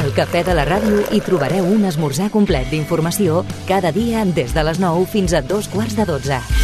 Al Cafè de la Ràdio hi trobareu un esmorzar complet d'informació cada dia des de les 9 fins a 11:45.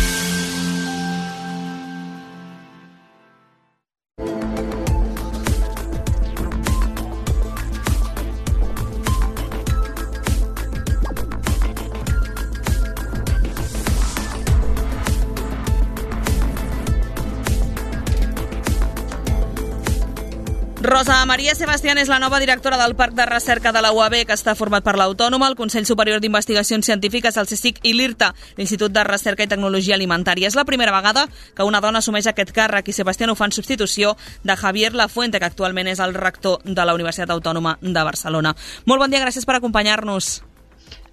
Rosa Maria Sebastián és la nova directora del Parc de Recerca de la UAB, que està format per l'Autònoma, el Consell Superior d'Investigacions Científiques, el CSIC i l'IRTA, l'Institut de Recerca i Tecnologia Alimentària. És la primera vegada que una dona assumeix aquest càrrec i Sebastián ho fa en substitució de Javier Lafuente, que actualment és el rector de la Universitat Autònoma de Barcelona. Molt bon dia, gràcies per acompanyar-nos.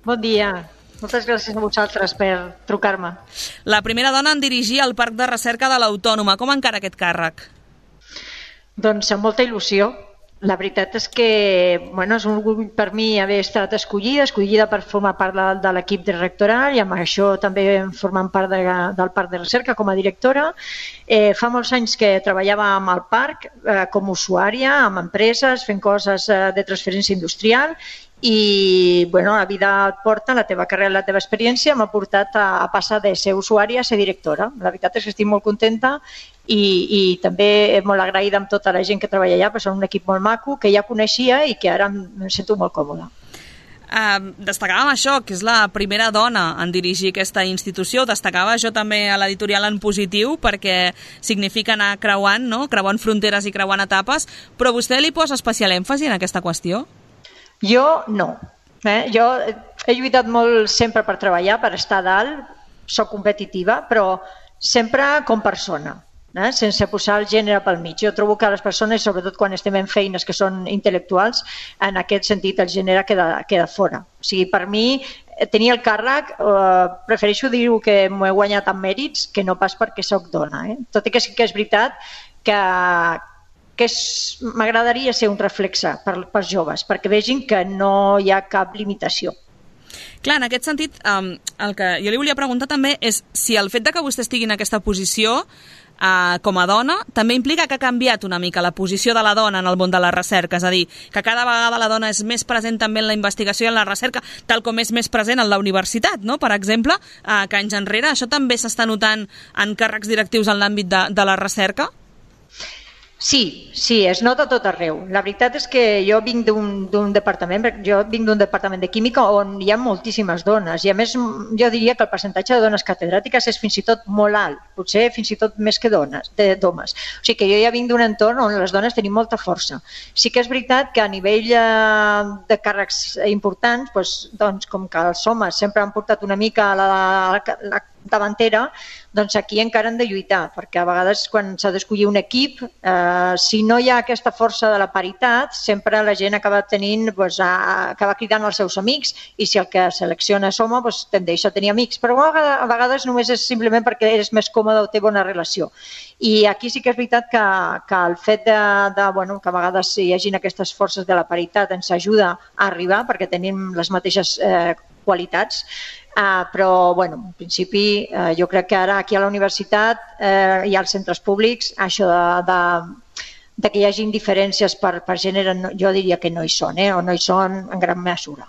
Bon dia. Moltes gràcies a vosaltres per trucar-me. La primera dona en dirigir el Parc de Recerca de l'Autònoma. Com encara aquest càrrec? Doncs amb molta il·lusió. La veritat és que és un orgull per mi haver estat escollida per formar part de l'equip de rectoral i amb això també formant part del Parc de Recerca com a directora. Fa molts anys que treballava amb el parc com a usuària, amb empreses, fent coses de transferència industrial i la vida et porta, la teva carrera, la teva experiència m'ha portat a passar de ser usuària a ser directora. La veritat és que estic molt contenta i també molt agraïda amb tota la gent que treballa allà, perquè són un equip molt maco, que ja coneixia i que ara em sento molt còmoda. Destacàvem això, que és la primera dona en dirigir aquesta institució. Destacava això també a l'editorial en positiu, perquè significa anar creuant, no? Creuant fronteres i creuant etapes, però vostè li posa especial èmfasi en aquesta qüestió? Jo no. Jo he lluitat molt sempre per treballar, per estar a dalt, soc competitiva, però sempre com persona, sense posar el gènere pel mig. Jo trobo que les persones, sobretot quan estem en feines que són intel·lectuals, en aquest sentit el gènere queda fora. O sigui, per mi, tenir el càrrec, prefereixo dir-ho que m'ho he guanyat amb mèrits que no pas perquè soc dona. Tot i que sí que és veritat que m'agradaria ser un reflexe per joves, perquè vegin que no hi ha cap limitació. Clar, en aquest sentit, el que jo li volia preguntar també és si el fet de que vostè estigui en aquesta posició com a dona també implica que ha canviat una mica la posició de la dona en el món de la recerca, és a dir, que cada vegada la dona és més present també en la investigació i en la recerca, tal com és més present en la universitat, no? Per exemple, que anys enrere això també s'està notant en càrrecs directius en l'àmbit de la recerca? Sí, es nota a tot arreu. La veritat és que jo vinc d'un departament de química on hi ha moltíssimes dones i a més jo diria que el percentatge de dones catedràtiques és fins i tot molt alt, potser fins i tot més que d'homes. O sigui que jo ja vinc d'un entorn on les dones tenim molta força. Sí que és veritat que a nivell de càrrecs importants, doncs, com que els homes sempre han portat una mica a la davantera, doncs aquí encara han de lluitar, perquè a vegades quan s'ha d'escollir un equip, si no hi ha aquesta força de la paritat, sempre la gent acaba cridant als seus amics i si el que selecciona és home, tendeix a tenir amics, però a vegades només és simplement perquè eres més còmode o té bona relació. I aquí sí que és veritat que el fet que a vegades hi hagin aquestes forces de la paritat ens ajuda a arribar perquè tenim les mateixes qualitats, però en principi jo crec que ara aquí a la universitat i als centres públics això de que hi hagi diferències per gènere jo diria que no hi són, o no hi són en gran mesura.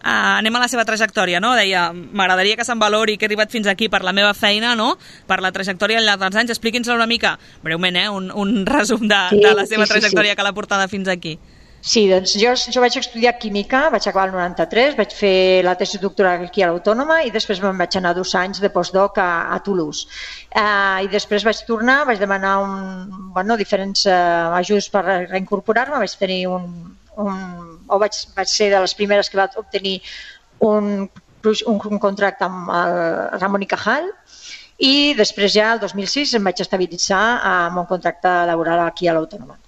Anem a la seva trajectòria, no? Deia, m'agradaria que se'n valori que he arribat fins aquí per la meva feina, no? Per la trajectòria al llarg dels anys. Expliqui'ns una mica, breument, un resum de la seva trajectòria que l'ha portada fins aquí. Sí, doncs jo vaig estudiar química, vaig acabar el 93, vaig fer la tesi doctoral aquí a l'Autònoma i després me'n vaig anar 2 anys de postdoc a Toulouse. I després vaig tornar, vaig demanar diferents ajuts per reincorporar-me, vaig tenir vaig ser de les primeres que vaig obtenir un contracte amb el Ramon y Cajal i després ja el 2006 em vaig estabilitzar amb un contracte laboral aquí a l'Autònoma.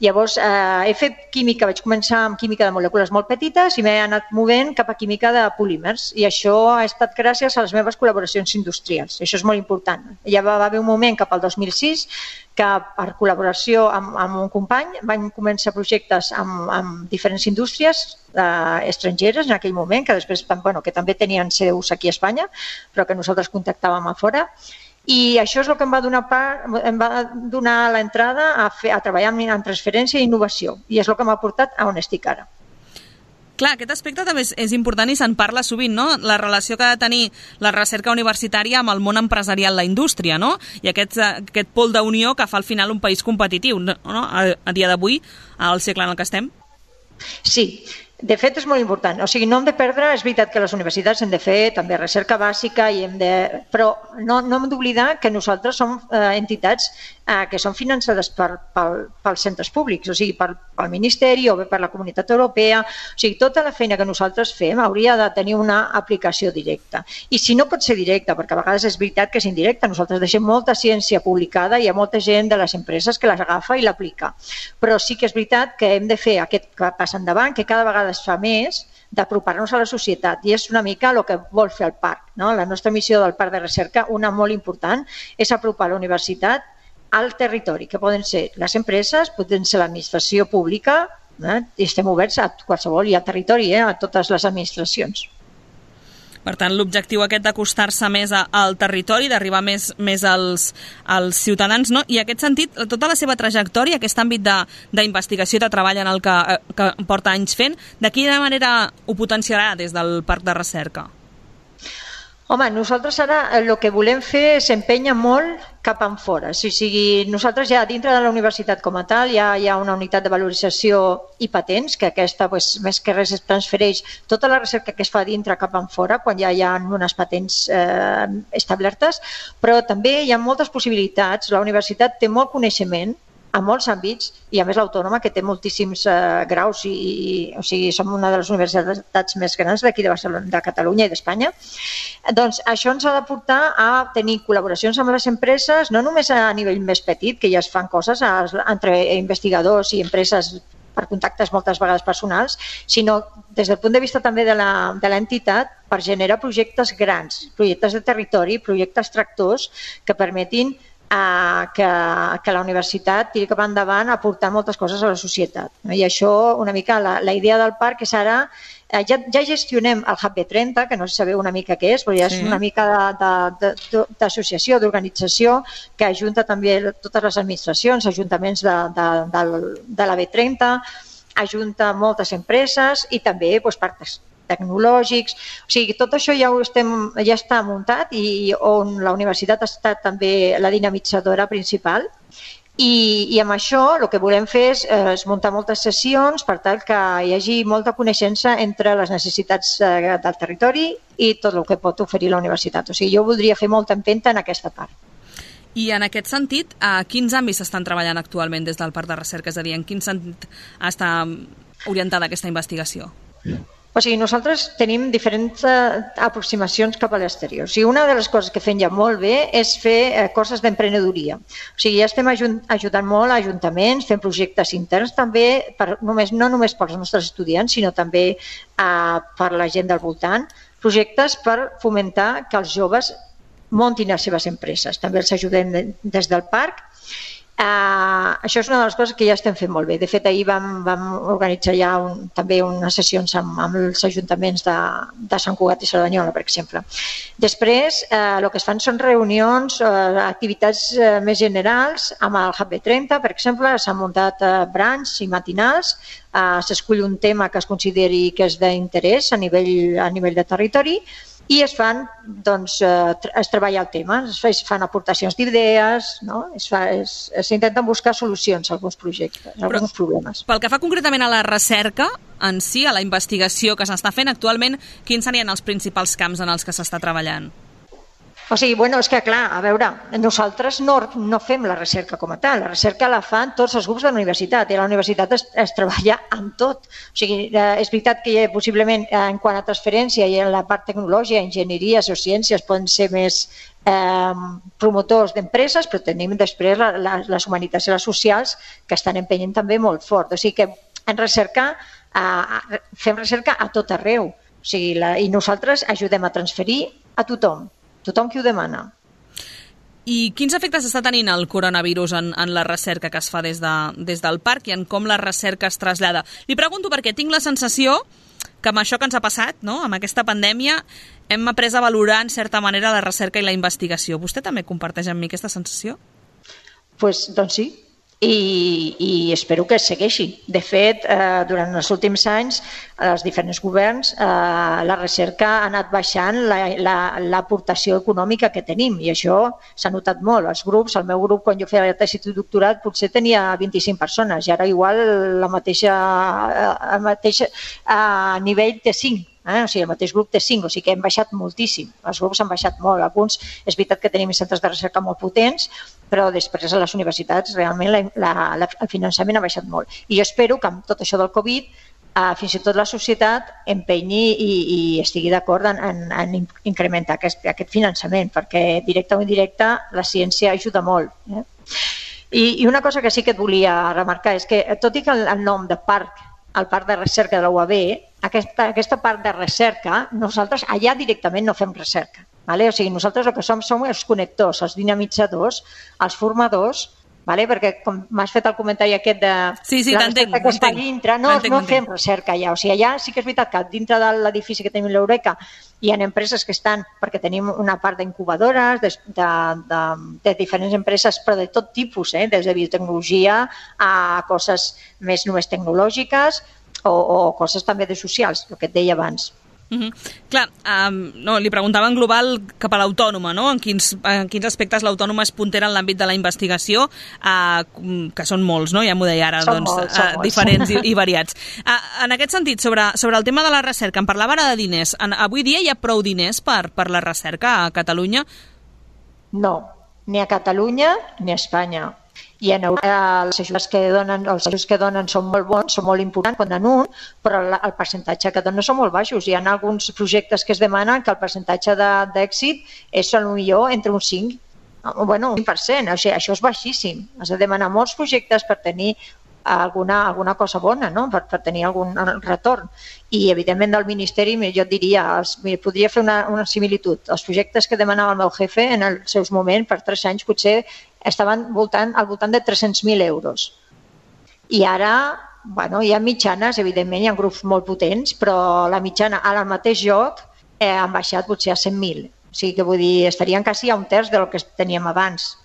Llavors he fet química, vaig començar amb química de molècules molt petites i m'he anat movent cap a química de polímers i això ha estat gràcies a les meves col·laboracions industrials. Això és molt important. Ja va haver un moment cap al 2006 que per col·laboració amb un company vam començar projectes amb diferents indústries estrangeres en aquell moment, que després que també tenien seus aquí a Espanya, però que nosaltres contactàvem a fora. I això és el que em va donar l'entrada a treballar en transferència i innovació, i és el que m'ha portat a on estic ara. Clar, aquest aspecte també és important i se'n parla sovint, no? La relació que ha de tenir la recerca universitària amb el món empresarial, la indústria, no? I aquest pol d'unió que fa al final un país competitiu, no? A dia d'avui, al segle en el que estem. Sí, de fet és molt important. O sigui, no hem de perdre, és veritat que les universitats hem de fer també recerca bàsica, però no hem d'oblidar que nosaltres som entitats que són finançades pels centres públics, o sigui, pel Ministeri o bé per la Comunitat Europea. O sigui, tota la feina que nosaltres fem hauria de tenir una aplicació directa. I si no pot ser directa, perquè a vegades és veritat que és indirecta, nosaltres deixem molta ciència publicada i hi ha molta gent de les empreses que les agafa i l'aplica. Però sí que és veritat que hem de fer aquest pas endavant, que cada vegada es fa més, d'apropar-nos a la societat, i és una mica el que vol fer el parc, no? La nostra missió del parc de recerca, una molt important, és apropar la universitat al territori, que poden ser les empreses, poden ser l'administració pública, i estem oberts a qualsevol, i al territori, a totes les administracions. Per tant, l'objectiu aquest d'acostar-se més al territori, d'arribar més als ciutadans, no? I en aquest sentit, tota la seva trajectòria, aquest àmbit d'investigació i de treball en el que porta anys fent, de quina manera ho potenciarà des del Parc de Recerca? Home, nosaltres ara el que volem fer s'empenya molt cap enfora. O sigui, nosaltres ja dintre de la universitat com a tal ja hi ha una unitat de valorització i patents, que aquesta més que res es transfereix tota la recerca que es fa dintre cap enfora, quan ja hi ha unes patents establertes, però també hi ha moltes possibilitats. La universitat té molt coneixement a molts àmbits, i a més l'Autònoma, que té moltíssims graus, o sigui, som una de les universitats més grans d'aquí de Barcelona, de Catalunya i d'Espanya. Doncs això ens ha de portar a tenir col·laboracions amb les empreses, no només a nivell més petit, que ja es fan coses entre investigadors i empreses per contactes moltes vegades personals, sinó des del punt de vista també de l'entitat, per generar projectes grans, projectes de territori, projectes tractors que permetin que la universitat tiri cap endavant a aportar moltes coses a la societat. I això, una mica, la idea del parc és ara, ja gestionem el Hub B30, que no sabeu una mica què és, però ja és una mica d'associació, d'organització, que ajunta també totes les administracions, ajuntaments de la B30, ajunta moltes empreses i també parcs tecnològics, o sigui, tot això ja està muntat i on la universitat ha estat també la dinamitzadora principal, i amb això el que volem fer és muntar moltes sessions per tal que hi hagi molta coneixença entre les necessitats del territori i tot el que pot oferir la universitat. O sigui, jo voldria fer molta empenta en aquesta part. I en aquest sentit, a quins àmbits s'estan treballant actualment des del Parc de Recerca? És a dir, en quin sentit està orientada aquesta investigació? O sigui, nosaltres tenim diferents aproximacions cap a l'exterior. O sigui, una de les coses que fem ja molt bé és fer coses d'emprenedoria. O sigui, ja estem ajudant molt a ajuntaments, fent projectes interns també, no només pels nostres estudiants, sinó també per la gent del voltant, projectes per fomentar que els joves muntin les seves empreses. També els ajudem des del parc. Això és una de les coses que ja estem fent molt bé. De fet, ahir vam organitzar ja també unes sessions amb els ajuntaments de Sant Cugat i Cerdanyola, per exemple. Després, el que es fan són reunions, activitats més generals. Amb el Hub B30, per exemple, s'han muntat brancs i matinals. S'escull un tema que es consideri que és d'interès a nivell de territori, i es treballa el tema, es fan aportacions d'idees, no? S'intenten buscar solucions a alguns projectes, a alguns problemes. Pel que fa concretament a la recerca en si, a la investigació que s'està fent actualment, quins serien els principals camps en els que s'està treballant? O sigui, és que clar, a veure, nosaltres no fem la recerca com a tal, la recerca la fan tots els grups de la universitat, i a la universitat es treballa amb tot. O sigui, és veritat que possiblement en quant a transferència i en la part tecnològica, enginyeries o ciències poden ser més promotors d'empreses, però tenim després les humanitats i les socials que estan empenyent també molt fort. O sigui que en recerca fem recerca a tot arreu, o sigui, i nosaltres ajudem a transferir a tothom qui ho demana. I quins efectes està tenint el coronavirus en la recerca que es fa des del parc i en com la recerca es trasllada? Li pregunto perquè tinc la sensació que amb això que ens ha passat, no? Amb aquesta pandèmia, hem après a valorar en certa manera la recerca i la investigació. Vostè també comparteix amb mi aquesta sensació? Doncs sí, i espero que segueixi. De fet, durant els últims anys, els diferents governs, la recerca ha anat baixant l'aportació econòmica que tenim, i això s'ha notat molt. Els grups, el meu grup, quan jo feia la tesi de doctorat, potser tenia 25 persones, i ara igual el mateix nivell té 5. O sigui, el mateix grup té 5, o sigui que hem baixat moltíssim. Els grups han baixat molt. Alguns, és veritat que tenim centres de recerca molt potents, però després a les universitats realment el finançament ha baixat molt. I jo espero que amb tot això del Covid fins i tot la societat empenyi i estigui d'acord en incrementar aquest finançament, perquè directe o indirecte la ciència ajuda molt. I una cosa que sí que et volia remarcar és que, tot i que el nom de parc, el parc de recerca de la UAB, aquesta part de recerca, nosaltres allà directament no fem recerca. O sigui, nosaltres el que som els connectors, els dinamitzadors, els formadors, perquè com m'has fet el comentari aquest de la recerca que es fa dintre, no fem recerca allà. O sigui, allà sí que és veritat que dintre de l'edifici que tenim l'Eureka hi ha empreses que estan, perquè tenim una part d'incubadores, de diferents empreses, però de tot tipus, des de biotecnologia a coses més només tecnològiques o coses també de socials, el que et deia abans. Clar, li preguntava en global cap a l'autònoma, no? En quins aspectes l'autònoma es puntera en l'àmbit de la investigació, que són molts, no? Ja m'ho deia ara, diferents i variats. En aquest sentit, sobre el tema de la recerca, em parlava ara de diners. Avui dia hi ha prou diners per la recerca a Catalunya? No, ni a Catalunya ni a Espanya. I en Europa els ajuts que donen són molt bons, són molt importants quan donen un, però el percentatge que donen són molt baixos. Hi ha alguns projectes que es demanen que el percentatge d'èxit és potser entre un 5, un 5%. O sigui, això és baixíssim. Has de demanar molts projectes per tenir alguna cosa bona, no? Per tenir algun retorn. I, evidentment, del Ministeri, jo et diria, podria fer una similitud. Els projectes que demanava el meu jefe en els seus moments, per 3 anys, potser estaven al voltant de 300.000 euros. I ara, hi ha mitjanes, evidentment, hi ha grups molt potents, però la mitjana al mateix lloc han baixat potser a 100.000. O sigui que vull dir, estarien quasi a un terç del que teníem abans,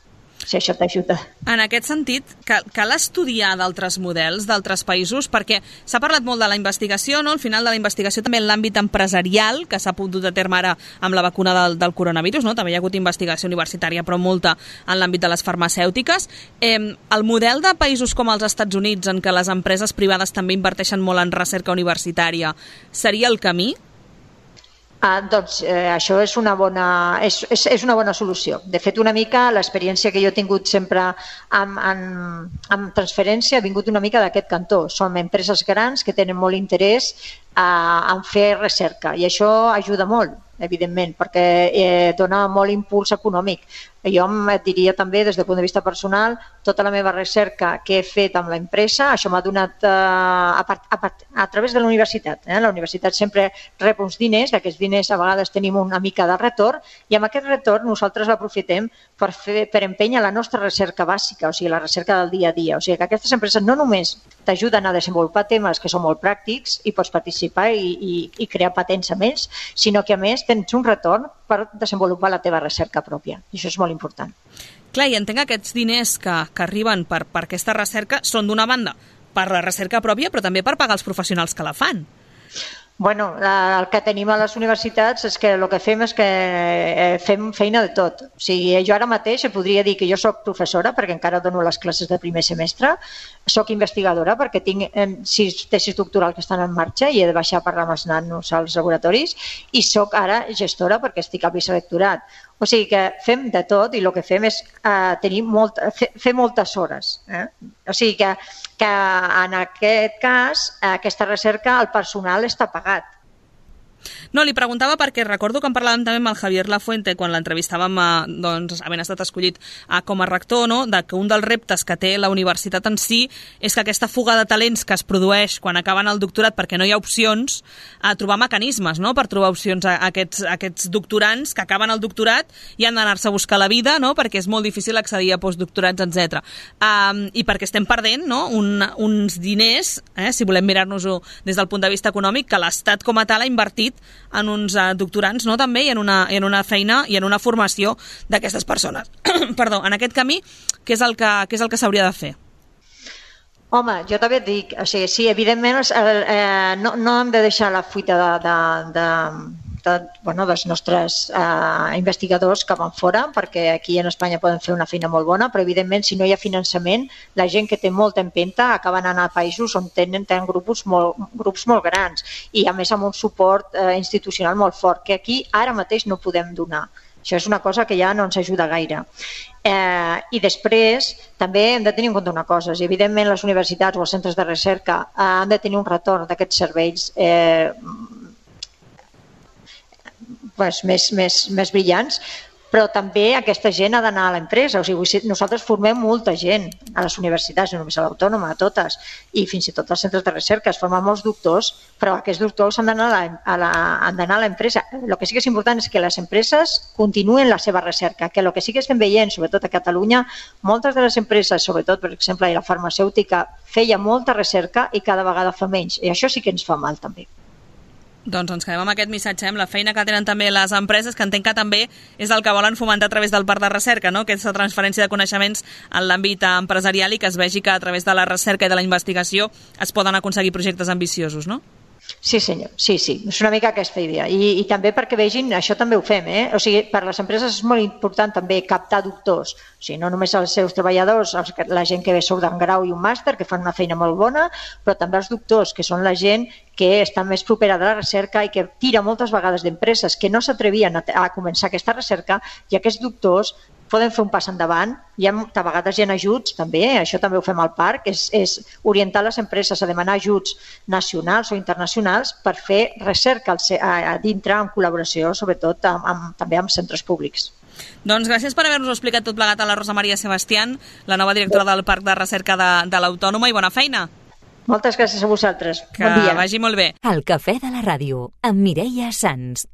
si això t'ajuda. En aquest sentit, cal estudiar d'altres models, d'altres països, perquè s'ha parlat molt de la investigació, no? Al final de la investigació també en l'àmbit empresarial, que s'ha dut a terme ara amb la vacuna del coronavirus, no? També hi ha hagut investigació universitària, però molta en l'àmbit de les farmacèutiques. El model de països com els Estats Units, en què les empreses privades també inverteixen molt en recerca universitària, seria el camí? Doncs això és una bona solució. De fet, una mica l'experiència que jo he tingut sempre amb transferència ha vingut una mica d'aquest cantó. Som empreses grans que tenen molt interès en fer recerca i això ajuda molt, evidentment, perquè dona molt impuls econòmic. Jo et diria també, des del punt de vista personal, tota la meva recerca que he fet amb l'empresa, això m'ha donat a través de la universitat. La universitat sempre rep uns diners, d'aquests diners a vegades tenim una mica de retorn, i amb aquest retorn nosaltres l'aprofitem per empènyer la nostra recerca bàsica, o sigui, la recerca del dia a dia. O sigui, que aquestes empreses no només t'ajuden a desenvolupar temes que són molt pràctics i pots participar i crear patents amb ells, sinó que a més tens un retorn per desenvolupar la teva recerca pròpia. I això és molt important. Clar, i entenc que aquests diners que arriben per aquesta recerca són d'una banda per la recerca pròpia, però també per pagar els professionals que la fan. Bueno, el que tenim a les universitats és que el que fem és que fem feina de tot. O sigui, jo ara mateix podria dir que jo soc professora perquè encara dono les classes de primer semestre, soc investigadora perquè tinc 6 tesis doctorals que estan en marxa i he de baixar a parlar amb els nanos als laboratoris, i soc ara gestora perquè estic al vicerectorat. O sigui que fem de tot i el que fem és fer moltes hores. O sigui que en aquest cas, aquesta recerca, el personal està pagat. No, li preguntava perquè recordo que en parlàvem també amb el Javier Lafuente quan l'entrevistàvem, doncs, havent estat escollit com a rector, no? De que un dels reptes que té la universitat en si és que aquesta fuga de talents que es produeix quan acaben el doctorat perquè no hi ha opcions, a trobar mecanismes, no? Per trobar opcions a aquests doctorants que acaben el doctorat i han d'anar-se a buscar la vida, no? Perquè és molt difícil accedir a postdoctorats, etc. I perquè estem perdent, no? uns diners, si volem mirar-nos-ho des del punt de vista econòmic, que l'Estat com a tal ha invertit en uns doctorants, no? També, i en una feina i en una formació d'aquestes persones. Perdó, en aquest camí, què és el que s'hauria de fer? Home, jo també et dic, o sigui, sí, evidentment no hem de deixar la fuita dels nostres investigadors que van fora, perquè aquí en Espanya poden fer una feina molt bona, però evidentment si no hi ha finançament, la gent que té molta empenta acaba anant a països on tenen grups molt grans i a més amb un suport institucional molt fort, que aquí ara mateix no podem donar. Això és una cosa que ja no ens ajuda gaire. I després també hem de tenir en compte una cosa, i evidentment les universitats o els centres de recerca han de tenir un retorn d'aquests serveis més brillants, però també aquesta gent ha d'anar a l'empresa. O sigui, nosaltres formem molta gent a les universitats, no només a l'Autònoma, a totes, i fins i tot als centres de recerca es formen molts doctors, però aquests doctors han d'anar a l'empresa. El que sí que és important és que les empreses continuen la seva recerca, que el que sí que estem veient, sobretot a Catalunya, moltes de les empreses, sobretot, per exemple, la farmacèutica, feia molta recerca i cada vegada fa menys, i això sí que ens fa mal també. Doncs ens quedem amb aquest missatge, amb la feina que tenen també les empreses, que entenc que també és el que volen fomentar a través del parc de recerca, no? Aquesta transferència de coneixements en l'àmbit empresarial i que es vegi que a través de la recerca i de la investigació es poden aconseguir projectes ambiciosos, no? Sí, senyor, sí, és una mica aquesta idea. I també perquè vegin, això també ho fem, O sigui, per les empreses és molt important també captar doctors, o sigui, no només els seus treballadors, la gent que surt d'un grau i un màster, que fan una feina molt bona, però també els doctors, que són la gent que està més propera de la recerca i que tira moltes vegades d'empreses que no s'atrevien a començar aquesta recerca, i aquests doctors poden fer un pas endavant. A vegades hi ha ajuts també, això també ho fem al parc, és orientar les empreses a demanar ajuts nacionals o internacionals per fer recerca a dintre en col·laboració, sobretot també amb centres públics. Doncs gràcies per haver-nos explicat tot plegat a la Rosa Maria Sebastián, la nova directora del Parc de Recerca de l'Autònoma, i bona feina. Moltes gràcies a vosaltres. Bon dia. Que vagi molt bé. El Cafè de la Ràdio, amb Mireia Sans.